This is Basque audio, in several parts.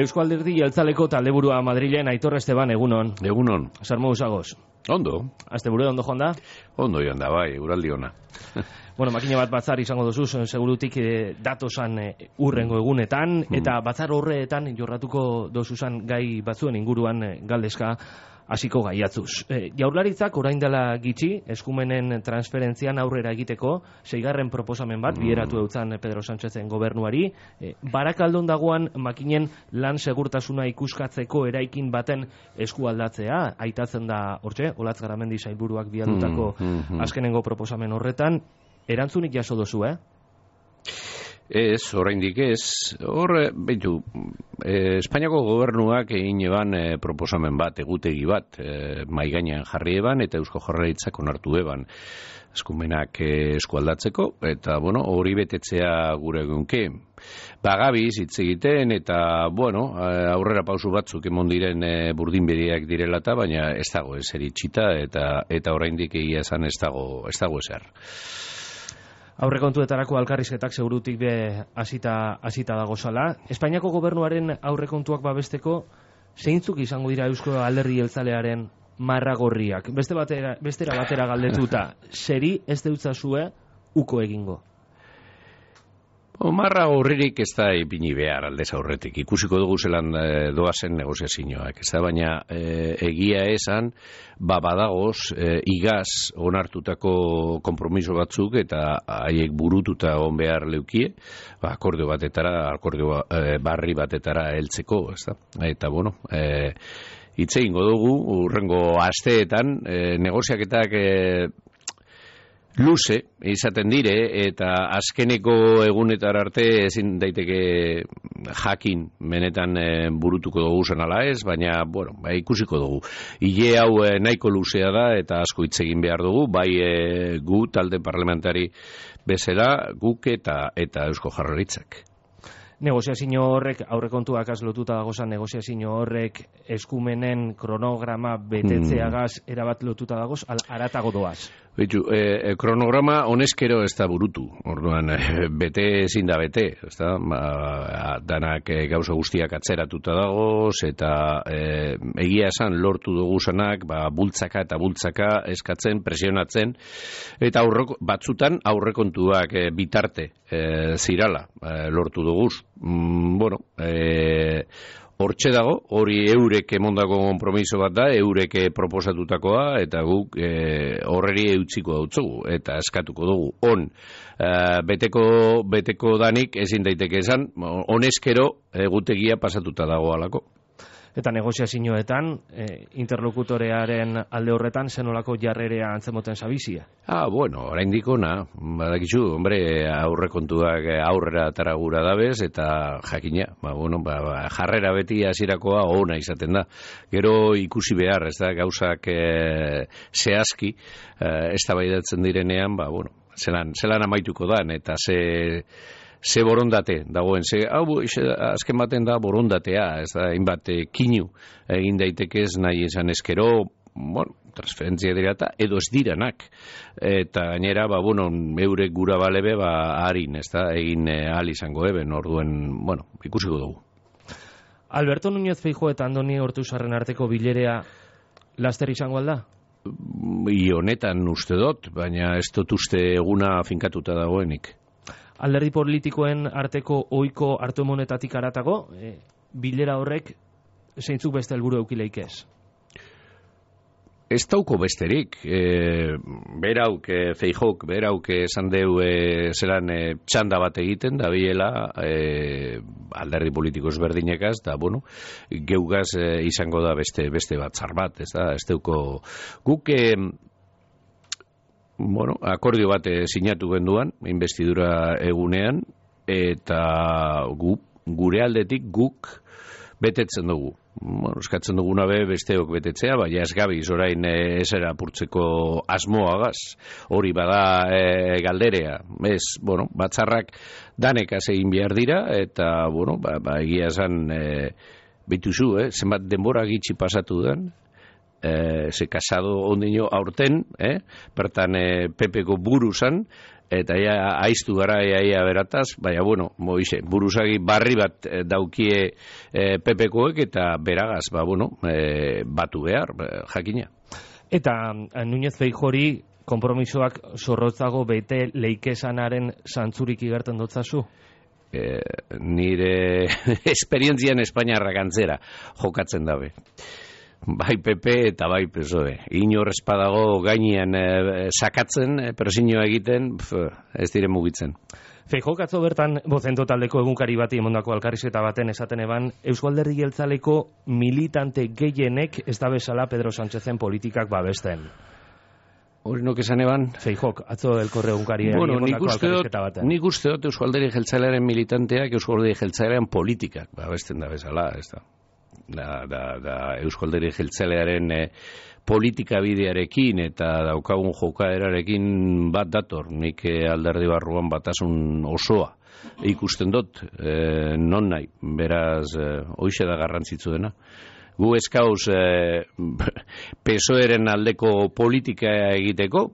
Eusko Alderdi Jeltzaleko taldeburua Madrilen Aitor Esteban, egunon. Egunon. Sarmo usagoz. Ondo. Asteburu ondo joan da? Ondo joan da, bai, uraldi ona. Bueno, makina bat batzar izango duzu, segurutik datosan urrengo egunetan, eta batzar horretan jorratuko dozuzan gai batzuen inguruan galdezka hasiko gaiatzuz. Jaurlaritzak orain dela gitxi, eskumenen transferentzian aurrera egiteko, 6. proposamen bat, bideratu eutzan Pedro Sánchezen gobernuari, Barakaldon dagoan makinen lan segurtasuna ikuskatzeko eraikin baten eskualdatzea, aitatzen da hortxe, Olatz Garamendi sailburuak bialdutako azkenengo proposamen horretan, erantzunik jaso dozu, Ez, oraindik ez. Hor, behitu, Espainiako gobernuak egin eban proposamen bat, egutegi bat, maigainan jarri eban, eta Eusko Jaurlaritzak onartu eban eskumenak eskualdatzeko, eta, bueno, hori betetzea gure egunke. Bagabiz hitz egiten, eta, bueno, aurrera pausu batzuk emon diren burdinberiak direlata, baina ez dago ezer itxita, eta oraindik egia esan ez dago ezer. Aurrekontuetarako alkarrizketak segurutik be hasita dagozala. Espainiako gobernuaren aurrekontuak babesteko zeintzuk izango dira Eusko Alderdi Jeltzalearen marragorriak? Bestera batera galdetuta, zeri ez deutzazue uko egingo? Marra horririk ez da ipini behar aldez aurretik. Ikusiko dugu zelan doazen negoziazioak. Ez da, baina egia esan, badagoz, igaz onartutako konpromiso batzuk eta haiek burututa on behar leukie, akordio barri batetara heltzeko, ez da. Eta, bueno, hitz egingo dugu, urrengo asteetan, negoziaketak luze izaten dire, eta azkeneko egunetar arte ezin daiteke jakin benetan burutuko dugu zen ala ez, baina, bueno, ikusiko dugu. Ile hau nahiko luzea da, eta asko hitz egin behar dugu, bai gu talde parlamentari bezala, guk eta Eusko Jaurlaritzak. Negoziazio horrek, aurrekontuak azlotuta dagozan negoziazio horrek eskumenen kronograma betetzeagaz erabat lotuta dagoz, aratago doaz? Bitu, kronograma honezkero ez da burutu, orduan bete ezin da bete, ez da, danak gauza guztiak atzeratuta dagoz, eta egia esan lortu duguzanak, bultzaka eta bultzaka eskatzen, presionatzen, eta batzutan aurrekontuak bitarte zirala lortu duguz. Bueno, hortxe dago, hori eurek emondako konpromiso bat da, eurek proposatutakoa, eta guk horreri eutziko dautzugu, eta eskatuko dugu. Beteko danik ezin daiteke esan, honezkero egutegia pasatuta dago alako. Eta negoziazioetan, interlokutorearen alde horretan, zenolako jarrerea antzemoten zabizia? Bueno, oraindik ona, badakizu, aurrekontuak aurrera taragura dabez, eta jakina, jarrera beti hasirakoa ona izaten da. Gero ikusi behar, ez da, gauzak zehazki, eztabaidatzen direnean, zelan amaituko dan, eta ze borondate dagoen, azken baten da borondatea, ez da, hainbat kinu egin daitekez nahi esan eskero, transferentzia dirata, edo ez diranak, eta gainera, eurek gura balebe, harin, ez da, egin ahal izango eben, orduen, ikusiko dugu. Alberto Núñez Feijóo eta Andoni Ortuzarren arteko bilerea laster izango alda? Honetan uste dut, baina ez dut uste eguna finkatuta dagoenik. Alderdi politikoen arteko ohiko hartu-emonetatik haratago, bilera horrek zeintzuk beste helburu eukileik ez? Ez dauko besterik. Berauk, Feijóok, berauk esan deu zelan txanda bat egiten, da biela alderdi politiko ezberdinekaz, da, geugaz izango da beste batzar bat, ez da, ez dauko guk akordio bat sinatu genduan, investidura egunean, eta gure aldetik guk betetzen dugu. Eskatzen duguna besteok betetzea, baina ez gabiz orain esera apurtzeko asmoagaz. Hori bada galderea. Ez, batzarrak danekaz egin behar dira, eta, egia esan, bituzu, zenbat denbora gitxi pasatu den, ze Casado ondino aurten, bertan PP-ko buru zan, eta aiztu gara ia berataz, baina bueno, buruzagi barri bat daukie PP-koek eta beragaz, batu behar, jakina. Eta Núñez Feijori konpromisoak zorrotzago bete leikesanaren zantzurik igerten dotzazu? Nire esperientzian Espainiarrak antzera jokatzen dabe. Bai PP eta bai PSOE. Inor espadago gainean sakatzen, presioa egiten, ez dire mugitzen. Feijok atzo bertan Bozento taldeko egunkari bati emondako elkarrizketa baten esaten eban, Eusko Alderdi Jeltzaleko militante gehienek ez da bezala Pedro Sánchezen politikak babesten. Hori nok esan eban? Feijok, atzo elkorre egunkari emondako elkarrizketa baten. Nik uste dut Eusko Alderdi Jeltzalearen militanteak Eusko Alderdi Jeltzalearen politikak babesten da bezala, ez da. Da Eusko Alderdi Jeltzalearen politika bidearekin eta daukagun jokaerarekin bat dator. Nik alderdi barruan batasun osoa ikusten dut, non nahi, beraz, hoixe da garrantzitsu dena. Gu eskauz PSOEren aldeko politika egiteko,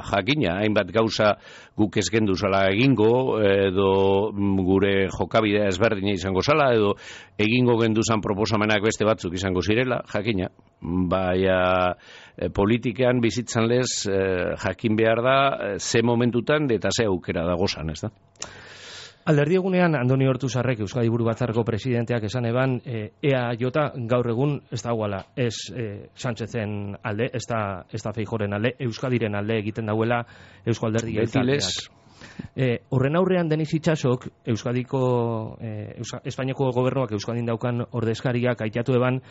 jakina, hainbat gauza guk ez gendu zala egingo, edo gure jokabidea ezberdina izango zala, edo egingo genduzan proposamenak beste batzuk izango zirela, jakina. Baina politikean bizitzan lez jakin behar da ze momentutan eta ze aukera dagozan, ez da? Alderdi egunean Andoni Ortuzarrek Euskadi Buru Batzarreko presidenteak esan eban EAJ gaur egun ez dagoela ez Sánchezen alde, ez da Feijoren alde, Euskadiren alde egiten dauela Eusko Alderdi Jeltzaleak. Horren aurrean Denis Itsasok Espainiako gobernuak Euskadin daukan ordezkariak aitatu eban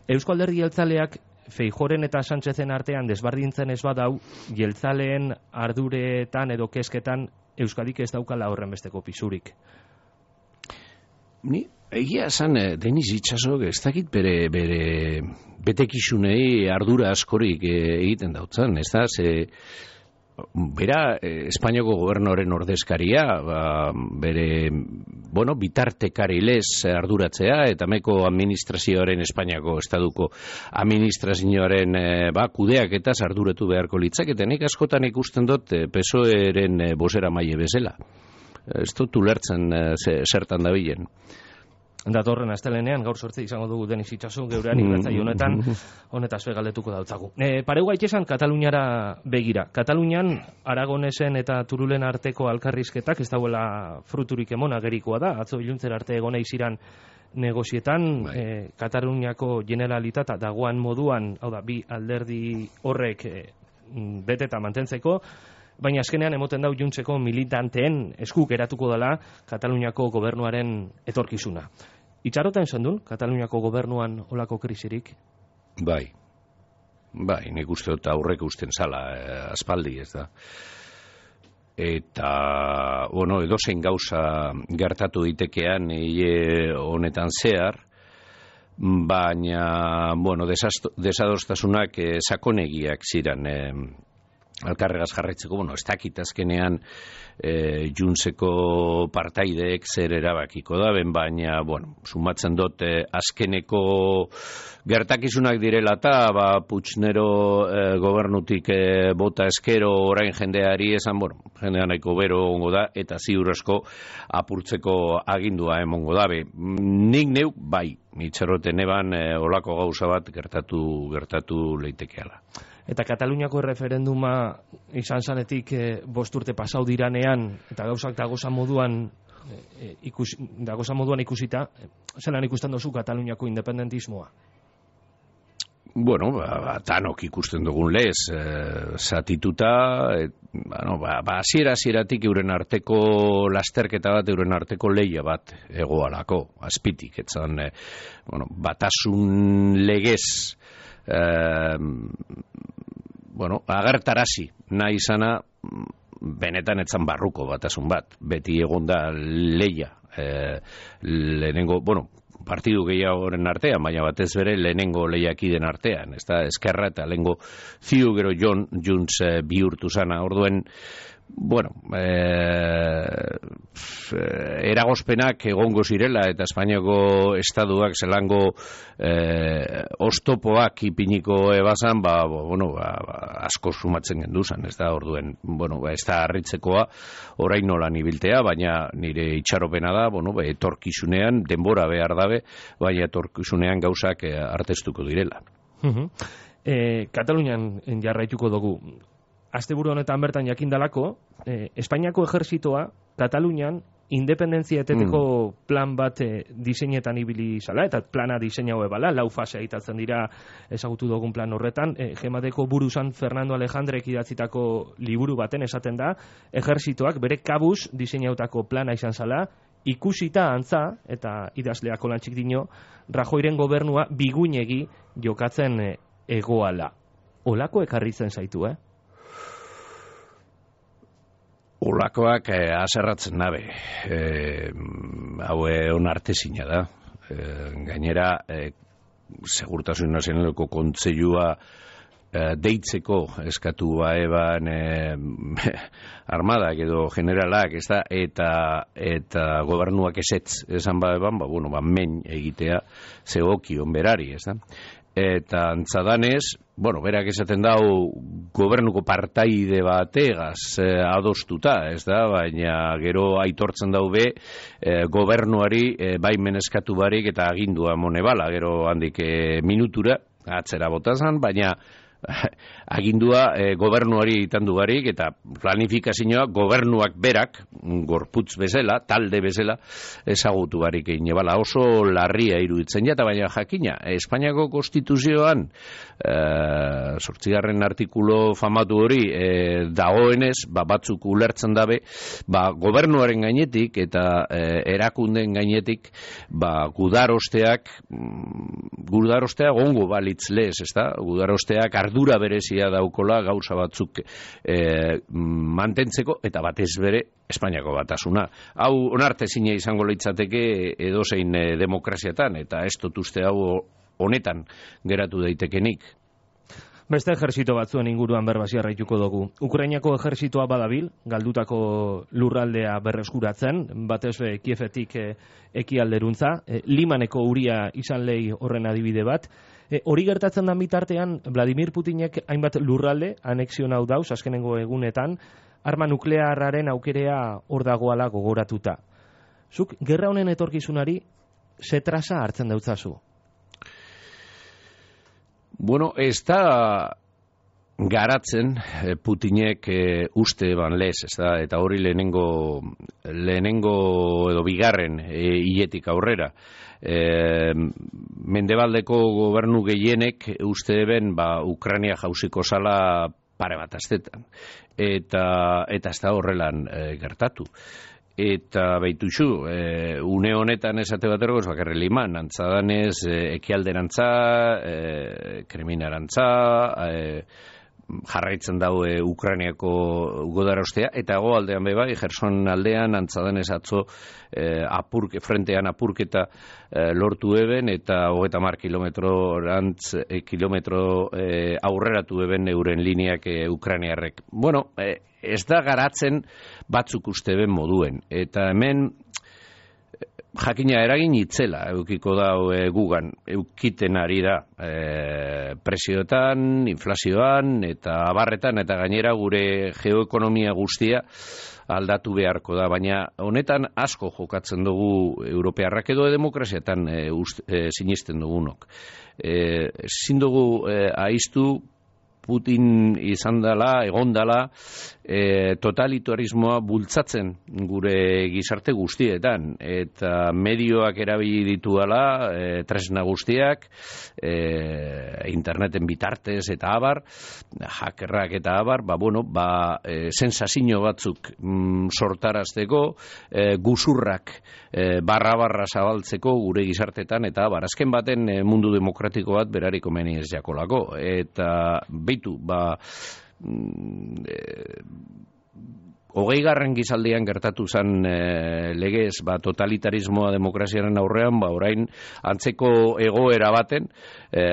Eusko Alderdi Jeltzaleak Feijoren eta Sánchezen artean desbardintzen ez badau jeltzaleen arduretan edo kezketan Euskadik ez daukala horren besteko pisurik. Ni egia esan Denis Itsasok ez dakit bere betekizunei ardura askorik egiten dautzen, ez da, bera Espainiako gobernuaren ordezkaria, bere bitartekari lez arduratzea, eta meko administrazioaren Espainiako estaduko administrazioaren kudeaketaz arduratu beharko litzak, eta nik askotan ikusten dut PSOEren bozera maile bezala. Ez dut ulertzen zertan dabilen. Datorren astelenean gaur 8 izango dugu Denis Itxaso geurean irratzaio honetan honetaz galdetuko dautzagu. Pareu gaitesan Kataluniara begira. Katalunian Aragonesen eta Turulen arteko alkarrizketak ez dauela fruturik emon agerikoa da. Atzo iluntzera arte egona iziran negozietan Kataluniako Generalitatea dagoan moduan, hau da, bi alderdi horrek beteta mantentzeko, baina azkenean emoten dau juntzeko militanteen esku geratuko dela Kataluniako gobernuaren etorkizuna. Itxaroten zendun, Kataluniako gobernuan olako krisirik? Bai, nik uste dut aurrek usten zala aspaldi, ez da. Eta, edozein gauza gertatu ditekean honetan zehar, baina, desadostasunak sakonegiak ziren alkarregaz jarraitzeko, ez dakit azkenean Juntseko partaideek zer erabakiko daben, baina, sumatzen dut azkeneko gertakizunak direla eta, Puigdemont gobernutik bota eskero orain jendeari esan, jendea nahiko bero ongo da, eta ziur asko apurtzeko agindua emongo dabe. Nik neu, itxarroten eban olako gauza bat gertatu leitekeala. Eta Kataluniako referenduma izan zanetik 5 urte pasau diranean, eta gauzak dagozan moduan ikusita, zelan ikusten duzu Kataluniako independentismoa? Tanok ikusten dugun lez, zatituta, hasieratik euren arteko lasterketa bat, euren arteko lehia bat egoalako, azpitik, etzan, batasun legez, agertarazi nahi izana benetan etzan barruko batasun bat, beti egonda lehia, lehenengo, partidu gehiagoren artean, baina batez bere lehenengo lehiakiden artean, ez da, Eskerra eta lehenengo ziu gero Junts bihurtu zana, orduen, Bueno, eragozpenak egongo zirela eta Espainiako estaduak zelango ostopoak ipiniko ebazan, asko sumatzen genduzan, ez da, orduen, ez da harritzekoa orain nolan ibiltea, baina nire itxaropena da, etorkizunean, denbora behar dabe, baina etorkizunean gauzak artestuko direla. Katalunian jarraituko dugu. Asteburu honetan bertan jakindalako, Espainiako ejerzitoa Katalunian independentzia eteteko plan bat diseinetan ibili zala, eta plana diseinau ebala, 4 fase aitatzen dira ezagutu dugun plan horretan. Gemadeko buruzan Fernando Alejandrek idatzitako liburu baten esaten da, ejerzitoak bere kabuz diseinautako plana izan zala, ikusita antza, eta idazleako lantxik dino, Rajoyren gobernua biguinegi jokatzen egoala. Olako ekarritzen zaitu, Olakoak aserratzen nabe. Hau onartezina da. Gainera, Segurtasun Nazionaleko Kontseilua deitzeko eskatu eban armadak edo generalak, ez da, eta gobernuak esetz esan eban, men egitea zegokion berari, ez da. Eta antzadanez, berak esaten dau gobernuko partaide bategaz adostuta, ez da, baina gero aitortzen daube gobernuari baimen eskatu barik eta agindua monebala, gero handik minutura atzera botazan, baina agindua gobernuari itandu barik eta planifikazioa gobernuak berak, gorputz bezala, talde bezala, ezagutu barik egin ebala. Oso larria iruditzen jata, baina jakina, Espainiako Konstituzioan 8. artikulo famatu hori dagoenez, batzuk ulertzen dabe, gobernuaren gainetik eta erakunden gainetik gudarosteak gongo balitz lez, ez da? Gudarosteak ardura berezia daukola gauza batzuk mantentzeko eta batez bere Espainiako batasuna. Hau onartezina izango litzateke edozein demokraziatan eta ez dut uste hau honetan geratu daitekenik. Beste ejerzito batzuen inguruan berbasi arraituko dugu. Ukrainako ejerzitoa badabil, galdutako lurraldea berreskuratzen, batez Kiefetik ekialderuntza, Limaneko uria izan lehi horren adibide bat. Hori gertatzen da bitartean, Vladimir Putinek hainbat lurralde anexionau dauz, azkenengo egunetan, arma nuklearraren aukerea hor dagoala gogoratuta. Zuk, gerra honen etorkizunari, zetrasa hartzen dautzazu? Ez da garatzen Putinek uste ban lez, ez da, eta hori lehenengo edo bigarren hiletik aurrera. Mendebaldeko gobernu gehienek uste eben Ukraina jauziko zala pare bat astetan. Eta ez da horrelan gertatu. Eta behituzu, une honetan esate baterako ez bakarri Liman, antzadanez ekialderantza, kriminarantza, jarraitzen daue Ukrainiako godarostea, eta goaldean bebai, Gerson aldean antzadanez atzo frentean apurketa lortu eben, eta 30 kilometro aurreratu eben euren lineak Ukrainiarrek. Ez da garatzen batzuk uste ben moduen, eta hemen jakina eragin itzela eukiko da gugan, eukiten ari da presioetan, inflazioan eta abarretan, eta gainera gure geoekonomia guztia aldatu beharko da, baina honetan asko jokatzen dugu europearrak edo demokraziatan sinisten dugunok. Ezin dugu aiztu Putin izan dela, egon dela, totalitarismoa bultzatzen gure gizarte guztietan, eta medioak erabili dituala, tresna guztiak, interneten bitartez eta abar, hackerrak eta abar, sensazio batzuk sortarazteko, guzurrak barra zabaltzeko gure gizartetan, eta abar, azken baten mundu demokratiko bat berariko meni ez jakolako, eta beitu, hogeigarren gizaldian gertatu zen legez totalitarismoa demokraziaren aurrean, orain antzeko egoera baten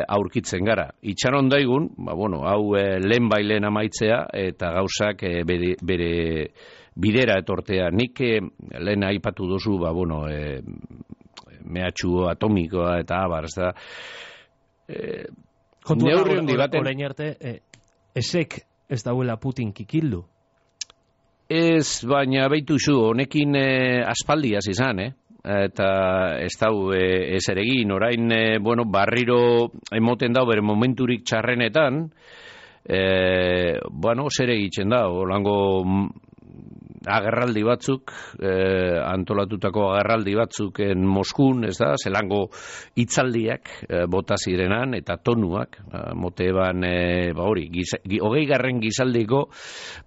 aurkitzen gara. Itxaron daigun, hau lehen bailen amaitzea eta gauzak bere bidera etortea. Nik lehen aipatu dozu, mehatxu atomikoa eta abar, ez da. Neurri handi baten... Orain arte, esek ez dauela Putin kikildu? Ez, baina behitu zu, honekin aspaldiaz izan, eta ez dau ez eregin, orain, barriro emoten dau bere momenturik txarrenetan, zer egiten da, holango agerraldi batzuk, antolatutako agerraldi batzuk Moskun, ez da, zelango hitzaldiak bota zirenan, eta tonuak, moteban, hogeigarren gizaldiko,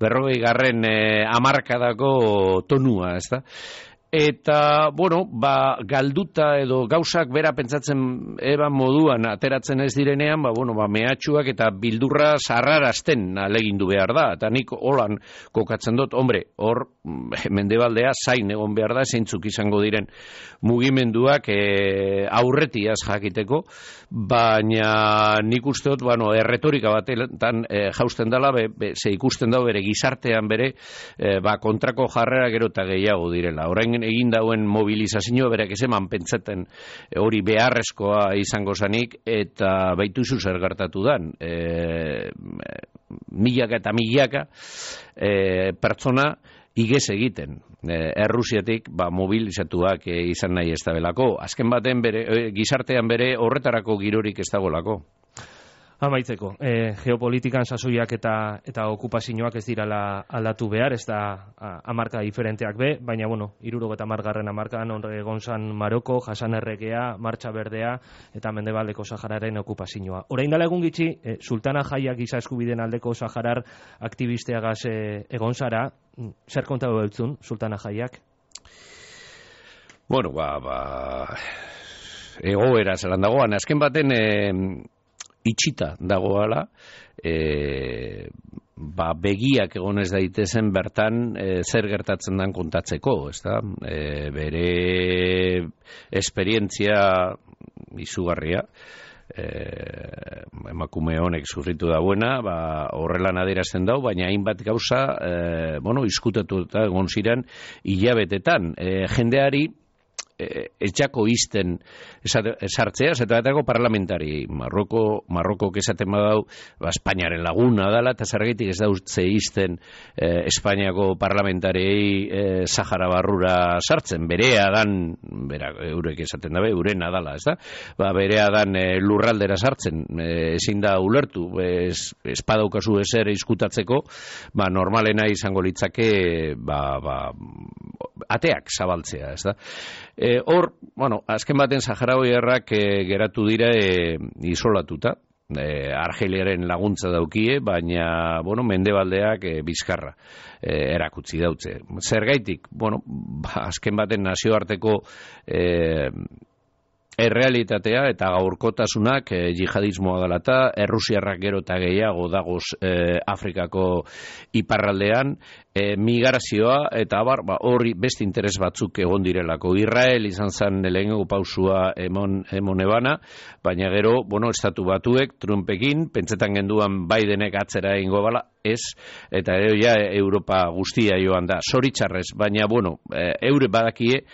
40garren hamarkadako tonua, ez da. Eta, galduta edo gauzak bera pentsatzen eban moduan ateratzen ez direnean, mehatxuak eta bildurra sarrarazten alegindu behar da. Eta nik holan kokatzen dut, hor mendebaldea zain egon behar da, zeintzuk izango diren mugimenduak aurretiaz jakiteko, baina nik uste dut, erretorika batetan jausten dela, ze ikusten da bere gizartean bere, kontrako jarrera gero eta gehiago direla. Orain egin dauen mobilizazio berak eman pentsaten hori beharrezkoa izango zanik, eta baituzu zer gertatu dan. Milaka eta milaka pertsona igez egiten. Errusiatik mobilizatuak izan nahi ez da belako. Azken baten gizartean bere horretarako girorik ez dagolako. Amaitzeko, geopolitikan sasoiak eta okupazioak ez dirala aldatu behar, ez da hamarka diferenteak baina 70. hamarkan egon zan Maroko, Jasan Erregea, Martxa Berdea eta Mendebaldeko Sahararen okupazioa. Orain dela egun gitxi, Sultana Jaiak giza eskubideen aldeko Saharar aktivisteagaz egon zara, zer kontatu beltzun, Sultana Jaiak? Egoera zelan dagoan, azken baten itxita dagoala, begiak egonez daitezen bertan zer gertatzen dan kontatzeko, ezta? Bere esperientzia izugarria, emakume honek sufritu dauena, horrelan adierazten dau, baina hainbat gauza, izkutatu eta egon ziren hilabetetan. Jendeari etxako izten sartzea, zetatako parlamentari. Marrokok esaten badau, Espainiaren laguna dela, eta zergatik ez dautze izten Espainiako parlamentariei Sahara barrura sartzen. Berea dan, eurek esaten dabe, eurena dala, ez da? Berea dan lurraldera sartzen, ezin da ulertu, espadaukazu ezer izkutatzeko, normalena izango litzake, ateak zabaltzea, ez da? Hor, azken baten Saharaoiarrak geratu dira isolatuta, Argeliaren laguntza daukie, baina, mendebaldeak bizkarra erakutsi dautze. Zergaitik, azken baten nazioarteko errealitatea eta gaurkotasunak jihadismoa dela eta Errusiarrak gero eta gehiago dagoz Afrikako iparraldean, migrazioa eta hori beste interes batzuk egon direlako. Israel izan zen lehenengo pausua emon ebana, baina gero, estatu batuek, Trumpekin, pentsetan genduan Bidenek atzera egingo bala, ez, eta Europa guztia joan da, zoritxarrez, baina, eure badakie,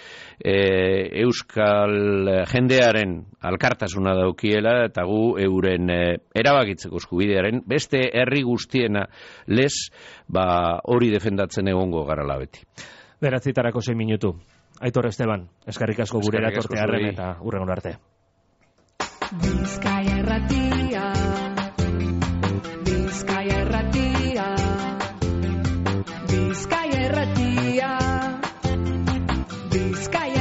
euskal jendearen alkartasuna daukiela, eta gu euren erabakitzeko eskubidearen, beste herri guztiena lez, hori defendatzen egongo garala beti. 9:06 minutu. Aitor Esteban, eskerrik asko gure eratorte harren eta hurrengo arte. Bizkaia Irratia, Bizkaia Irratia, Bizkaia Irratia, Bizkaia